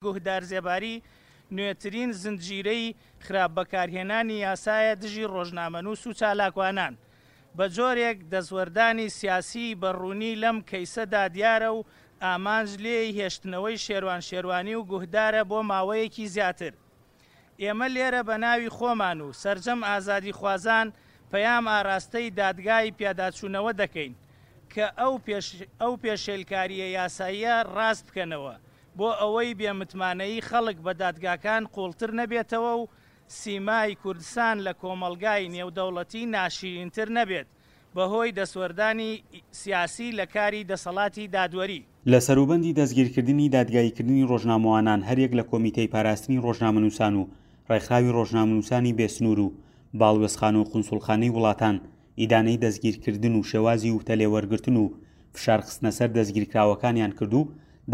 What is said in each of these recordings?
گوهدار زێباری نوێترین زنجیرەی خراپ بەکارهێنانی یاسایە دژی ڕۆژنامەنووس و چالاکوانان، بە جۆرێک دەستوەردانی سیاسیی بە ڕوونی لەم کەیسەدا دیارە و ئامانج لێی هێشتنەوەی شێروان شێروانی و گوهدارە بۆ ماوەیەکی زیاتر. ئێمە لێرە بە ناوی خۆمان و سەرجەم ئازادیخوازان پەیام ئاراستەی دادگای پیاداچوونەوە دەکەین کە ئەو پێشێلکارییە یاساییە ڕاست بکەنەوە بۆ ئەوەی بێ متمانەیی خەڵک بە دادگاکان قووڵتر نەبێتەوە و سیمای کوردسان لە کۆمەڵگای نێودەوڵەتی ناشیرینتر نەبێت بەهۆی دەستوەردانی سیاسی لە کاری دەسەڵاتی دادوەری. لە سەروبەندی دەستگیرکردنی دادگاییکردنی ڕۆژنامەوانان هەریەک لە کۆمیتەی پاراستنی ڕۆژنامەنووسان و ڕێکخراوی ڕۆژنامەنووسانی بێ سنوور و باڵوێزخانە و قونسوڵخانەی وڵاتان ئیدانەی دەستگیرکردن و شێوازی وتە لێوەرگرتن و فشار خستنەسەر دەستگیرکراوەکانیان کرد و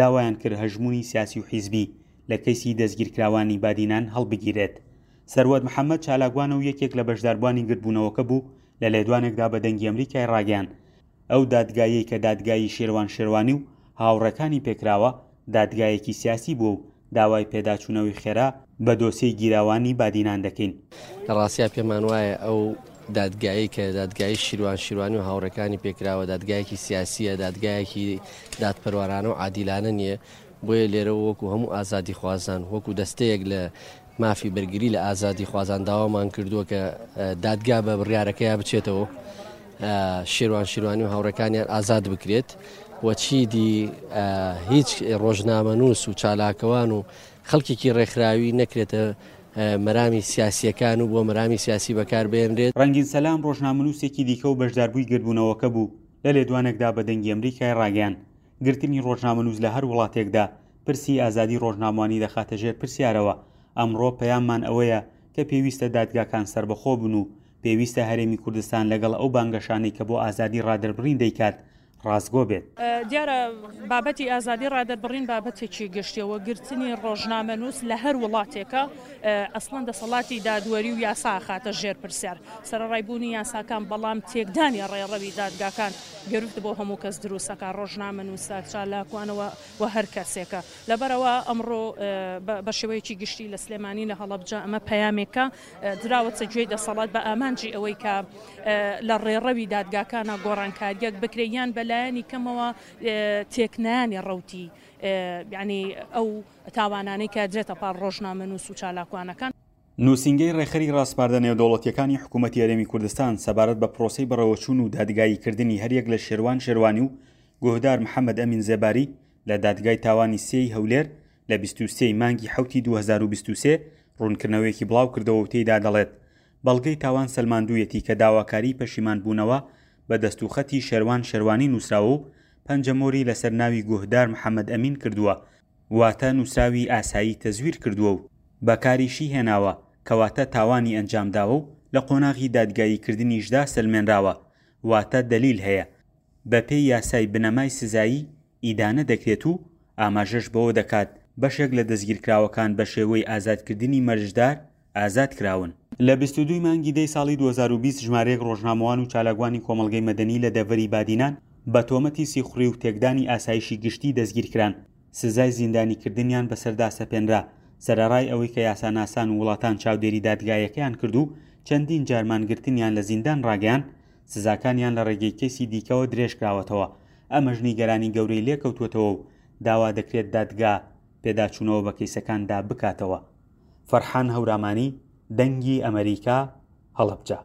داوایان کرد هەژموونی سیاسی و حیزبی لە کەیسی دەستگیرکراوانی بادینان هەڵبگیرێت. سەروەت محەمەد چالاکوانە و یەکێک لە بەشداربووانی گردبوونەوەکە بوو لە لێدوانێکدا بە دەنگی ئەمریکای ڕاگەیاند ئەو دادگایەی کە دادگایی شێروان شێروانی و هاوڕێکانی پێکراوە دادگایەکی سیاسی بووە و داوای پێداچوونەوەی خێرا بە دۆسیەی گیراوانی بادینان دەکەین. لە ڕاستیا پێمان وایە ئەو دادگایەی کە دادگایی شیروان شیروانی و هاوڕێکانی پێکراوە دادگایەکی سیاسییە، دادگایەکی دادپەروەرانە و عادیلانە نییە، بۆیە لێرەوە وەکو هەموو ئازادیخوازان، وەکو دەستەیەک لە مافی بەرگری لە ئازادیخوازان داوامان کردووە کە دادگا بە بڕیارەکەیا بچێتەوە شێروان شیروانی و هاوڕێکانیان ئازاد بکرێت و چیدی هیچ ڕۆژنامەنووس و چالاکەوان و خەڵکێکی ڕێکخراوی نەکرێتە مەرامی سیاسیەکان و بۆ مەرامی سیاسی بەکاربێنرێت. ڕەنگین سەلام ڕۆژنامەنووسێکی دیکە و بەشداربووی گردبوونەوەکە بوو، لە لێدوانێکدا بە دەنگی ئەمریکای ڕاگەیاند، گرتنی ڕۆژنامەنووس لە هەر وڵاتێکدا پرسی ئازادی ڕۆژنامەوانی دەخاتە ژێر پرسیارەوە، ئەمڕۆ پەیاممان ئەوەیە کە پێویستە دادگاکان سەربەخۆ بن و پێویستە هەرێمی کوردستان لەگەڵ ئەو بانگەشانەی کە بۆ ئازادی ڕادەربڕین دەیکات ڕاستگۆ بێت. دیارە بابەتی ئازادی ڕادەربڕین بابەتێکی گشتیە و گرتنی ڕۆژنامەنووس لە هەر وڵاتێکە ئەسڵەن دەسەڵاتی دادوەری و یاسا ئەخاتە ژێر پرسیار. سەرەڕای بوونی یاساکان بەڵام تێکدانی ڕێڕەوی دادگاکان گرفت بۆ هەموو کەس دروست ئەکات، ڕۆژنامەنووسە، چالاکوانە و هەر کەسێکە. لەبەرئەوە ئەمڕۆ بە شێوەیەکی گشتی لە سلێمانی لە هەڵەبجە ئەمە پەیامێکە دراوەتە گوێی دەسەڵات بە ئامانجی ئەوەی کە لە ڕێڕەوی دادگاکانە گۆڕانکارییەک بکرێت یان بە لایەنی کەمەوە تێکنانی ڕەوتی یانی ئەو تاوانانەی کە درێتە پاڵ ڕۆژنامەنووس و چالاکوانەکان. نووسینگەی ڕێکخەری ڕاسپاردە نێودەوڵەتییەکانی حکوومەتی هەرێمی کوردستان سەبارەت بە پرۆسەی بەڕێوەچوون و دادگاییکردنی هەریەک لە شێروان شێروانی و گوهدار محەمەد ئەمین زێباری لە دادگای تاوانی سێی هەولێر لە 23 ی مانگی حەوتی 2023 ڕوونکردنەوەیەکی بڵاوکردەوە و تێیدا دەڵێت بەڵگەی تاوان سەلماندوویەتی کە داواکاریی پەشیمانبوونەوە بە دەستوخەتی شێروان شێروانی نووسراوە و پەنجەمۆری لەسەر ناوی گوهدار محەمەد ئەمین کردووە واتە نووسراوی ئاسایی تەزویر کردووە و بەکاریشی هێناوە، کەواتە تاوانی ئەنجامداوە و لە قۆناغی دادگاییکردنیشدا سەلمێنراوە، واتە دەلیل هەیە، بەپێی یاسای بنەمای سزایی ئیدانە دەکرێت و ئاماژەش بەوە دەکات بەشێک لە دەستگیرکراوەکان بەشێوەی ئازادکردنی مەرجدار ئازاد کراون. لە 22 ی مانگی دەی ساڵی 2020 ژمارەیەک ڕۆژنامەوان و چالاکوانی کۆمەڵگەی مەدەنی لە دەڤەری بادینان بە تۆمەتی سیخوڕی و تێکدانی ئاسایشی گشتی دەستگیرکران، سزای زیندانیکردنیان بەسەردا سەپێنرا، سەرەڕای ئەوەی کە یاساناسان و وڵاتان چاودێری دادگایەکەیان کرد و چەندین جار مانگرتنیان لە زیندان ڕاگەیاند، سزاکانیان لە ڕێگەی کەیسی دیکەوە درێژکراوەتەوە، ئەمەش نیگەرانی گەورەی لێکەوتووەتەوە و داوا دەکرێت دادگا پێداچوونەوە بە کەیسەکاندا بکاتەوە. فەرحان هەورامانی، دەنگی ئەمەریکا، هەڵەبجە.